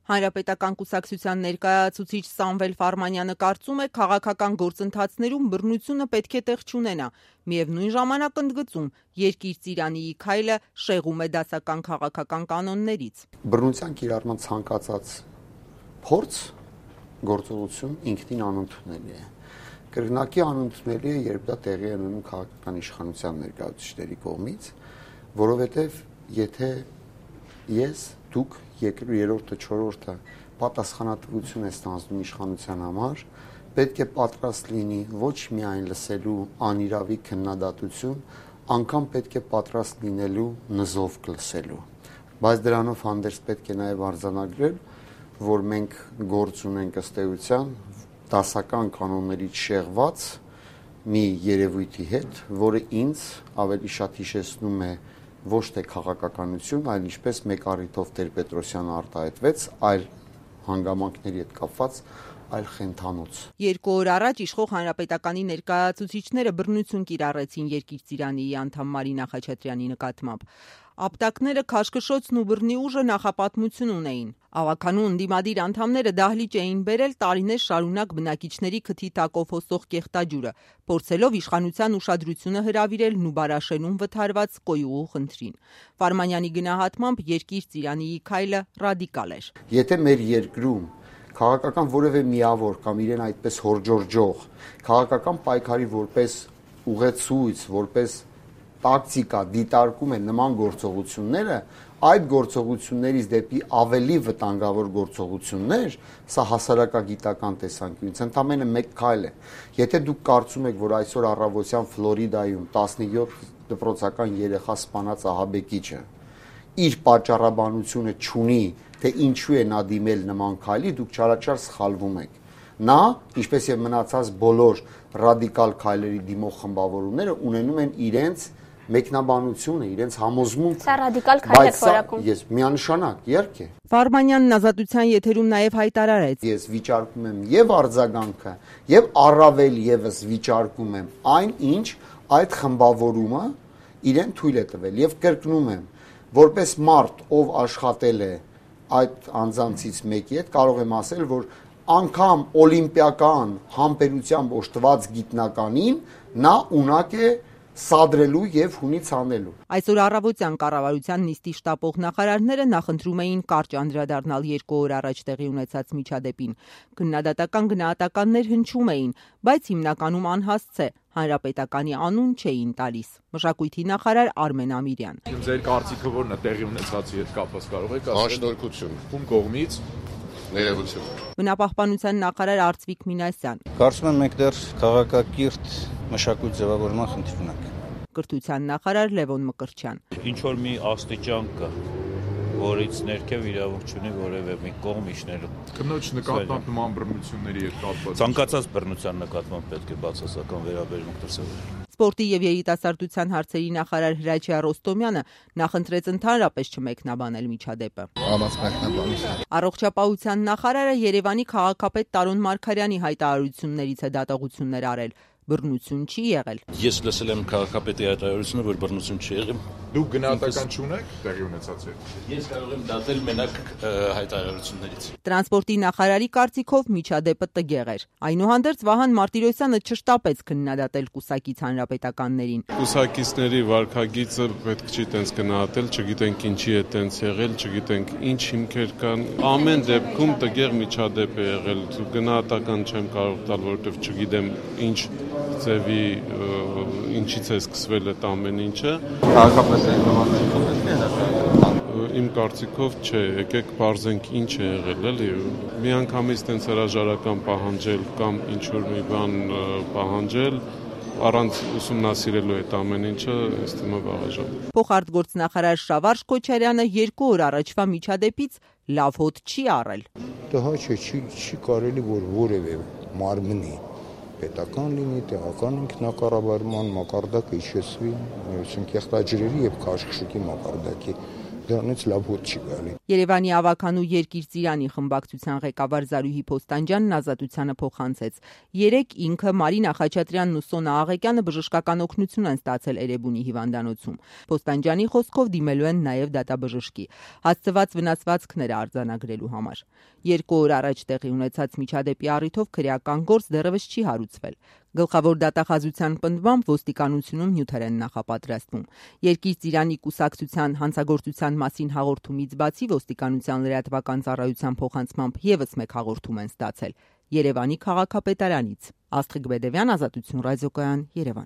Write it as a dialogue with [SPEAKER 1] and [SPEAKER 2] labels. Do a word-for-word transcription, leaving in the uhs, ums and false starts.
[SPEAKER 1] Հանրապետական կուսակցության ներկայացուցիչ Սամվել Ֆարմանյանը կարծում է, քաղաքական գործընթացներում բռնությունը պետք է տեղ չունենա, միևնույն ժամանակ ընդգծում, երկիր ծիրանիի քայլը շեղում է դասական քաղաքական կանոններից։
[SPEAKER 2] Բռնության կիրառման ցանկացած փորձ գործողություն ինքնին անընդունելի է։ Կրկնակի անընդունելի է, երբ դա տեղի է ունենում քաղաքական իշխանության ներկայացուցիչների կողմից, որովհետև եթե ես, դուք, երրորդը, չորրորդը պատասխանատվություն է ստանձնում իշխանության համար, պետք է պատրաստ լինի ոչ միայն լսելու անիրավի քննադատություն, անգամ պետք է պատրաստ լինելու նզովք լսելու։ Բայց դրանով հանդերձ պետք է նաև արձանագրել, որ մենք գործ ունենք ըստ էության դասական կանոններից շեղված մի երևույթի հետ, որը ինձ ավելի շատ հիշեցնում է ոչ թե քաղաքականություն, այլ ինչպես մեկ առիթով Տեր-Պետրոսյանը արտահայտվեց, այլ հանգամանքների հետ կապված այլ խենթանոց։
[SPEAKER 1] Երկու օր առաջ իշխող հանրապետականի ներկայացուցիչները բռնություն կիրառեցին երկիր ծիրանիի անդամ Մարինա Խաչատրյանի նկատմամբ։ Ապտակները, քաշքշոցն ու բռնի ուժը նախապատմություն ունեին։ Ավագանու ընդդիմադիր անդամները դահլիճ էին բերել տարիներ շարունակ բնակիչների քթի տակով հոսող կեղտաջուրը, փորձելով իշխանության ուշադրությունը հրավիրել Նուբարաշենում վթարված կոյուղու խնդրին։ Ֆարմանյանի գնահատմամբ երկիր ծիրանիի քայլը ռադիկալ էր։
[SPEAKER 2] Եթե մեր երկրում քաղաքական որևէ միավոր կամ իրեն այդպես հորջորջող քաղաքական պայքարի որպես ուղեցույց, որպես տակտիկա դիտարկում է նման գործողությունները, այդ գործողություններից դեպի ավելի վտանգավոր գործողություններ, սա հասարակագիտական տեսանկյունից ընդամենը մեկ քայլ է։ Եթե դուք կարծում եք, որ այսօր առավոտյան Ֆլորիդայում տասնյոթ դպրոցական երեխա սպանած ահաբեկիչը իր պատճառաբանությունը չունի, թե ինչու է նա դիմել նման քայլի, դուք չարաչար սխալվում եք։ Նա, ինչպես եւ մնացած բոլոր ռադիկալ քայլերի դիմող խմբավորումները ունենում են իրենց մեկնաբանությունը, իրենց համոզմունքը։
[SPEAKER 3] Սա ռադիկալ քայլ է որակում։
[SPEAKER 2] Ես միանշանակ, իհարկե։
[SPEAKER 1] Ֆարմանյանն ազատության եթերում նաև հայտարարեց.
[SPEAKER 2] Ես վիճարկում եմ եւ արձագանքը, եւ առավել եւս վիճարկում եմ այն, ինչ այդ խմբավորումը իրեն թույլ է տվել եւ կրկնում եմ, որպես մարդ, ով աշխատել է այդ անձանցից մեկի հետ, կարող եմ ասել, որ անգամ օլիմպիական համբերությամբ օժտված գիտնականին նա ունակ է սադրելու եւ հունից անելու։
[SPEAKER 1] Այսօր առավոտյան կառավարության նիստի շտապող նախարարները նախընտրում էին կարճ անդրադառնալ երկու օր առաջ տեղի ունեցած միջադեպին։ Քննադատական գնահատականներ հնչում էին, բայց հիմնականում անհասցե հանրապետականի անուն չէին տալիս։ Մշակույթի նախարար Արմեն Ամիրյան։
[SPEAKER 4] Ձեր կարծիքը ո՞րն է տեղի ունեցածի հետ կապված, կարող եք ասել։
[SPEAKER 5] Հաշտորգություն։
[SPEAKER 4] Ում կողմից։
[SPEAKER 5] Ներողություն։
[SPEAKER 1] Բնապահպանության նախարար Արծվիկ Մինասյան։
[SPEAKER 6] Կարծում եմ մենք դեռ քաղաքակիրթ մշակույթ ձևավորման խնդիր ունենք։
[SPEAKER 1] Կրթության նախարար Լևոն Մկրտչյան։
[SPEAKER 7] Ինչ որ մի աստիճան կա, որից ներքև իրավունք չունի որևէ մի կողմ իջնելու։
[SPEAKER 4] Կնոջ նկատմամբ նման բռնությունների հետ կապված։
[SPEAKER 7] Ցանկացած բռնության նկատմամբ պետք է բացասական վերաբերմունք դրսևորել։
[SPEAKER 1] Սպորտի եւ երիտասարդության հարցերի նախարար Հրաչյա Ռոստոմյանը նախընտրեց ընդհանրապես չմեկնաբանել միջադեպը։ Առողջապահության նախարարը Երևանի քաղաքապետ Տարոն Մարգարյանի հայտարարություններից է դատողություններ արել։ Բռնություն չի եղել։
[SPEAKER 7] Ես լսել եմ քաղաքապետի հայտարարությունը, որ բռնություն չի եղել։
[SPEAKER 4] Դուք գնահատական չունեք տեղի ունեցածի։
[SPEAKER 7] Ես կարող եմ դատել մենակ հայտարարություններից։
[SPEAKER 1] Տրանսպորտի նախարարի կարծիքով միջադեպը տգեղ էր։ Այնուհանդերձ Վահան Մարտիրոսյանը չշտապեց քննադատել կուսակից հանրապետականներին։
[SPEAKER 8] Կուսակիցների վարքագիծը պետք չի տենց գնահատել, չգիտենք ինչի է տենց եղել, չգիտենք ինչ հիմքեր կան։ Ամեն դեպքում տգեղ միջադեպ է եղել։ Գնահատական չեմ կարող տալ, որովհետև չգիտեմ ինչ ձևի ինչից է սկսվել այդ ամեն ինչը։ Իմ կարծիքով չէ, եկեք բարձենք ինչ է եղել, էլի։ Միանգամից տենց հրաժարական պահանջել կամ ինչ-որ մի բան պահանջել, առանց ուսումնասիրելու այդ ամեն ինչը, ըստ իմը վաղաժամ։
[SPEAKER 1] Փոխարտգործնախարար Շավարժ Քոչարյանը երկու օր առաջվա միջադեպից լավ հոտ չի առել։
[SPEAKER 9] Դա չէ, չի, չի կարելի որ որևէ մարմնի պետական լինի, տեղական ինքնակառավարման մակարդակը իջեցվի, միություն կեղտաջրերի եւ քաշքշուկի մակարդակի դրանից լավ հոտ չի գալի։
[SPEAKER 1] Երևանի ավականու Երկիր Ծիրանի խմբակցության ղեկավար Զարուհի Փոստանջյանն Ազատությանը փոխանցեց. երեք ինքը Մարինա Խաչատրյանն ու Սոնա Աղեկյանը բժշկական օգնություն են ստացել Էրեբունի հիվանդանոցում։ Փոստանջյանի խոսքով դիմելու են նաև դատաբժշկի հասցված վնասվածքները արձանագրելու համար։ Երկու օր առաջ տեղի ունեցած միջադեպի առիթով քրեական գործ դեռևս չի հարուցվել։ Գլխավոր դատախազության պնդմամբ ոստիկանությունում նյութեր են նախապատրաստվում։ Երկիր Ծիրանի կուսակցության հանցագործության մասին հաղորդումից բացի ոստիկանության լրատվական ծառայության փոխանցմամբ ևս մեկ հաղորդում են ստացել Երևանի քաղաքապետարանից։ Աստղիկ Բեդևյան, Ազատություն ռադիոկայան, Երևան։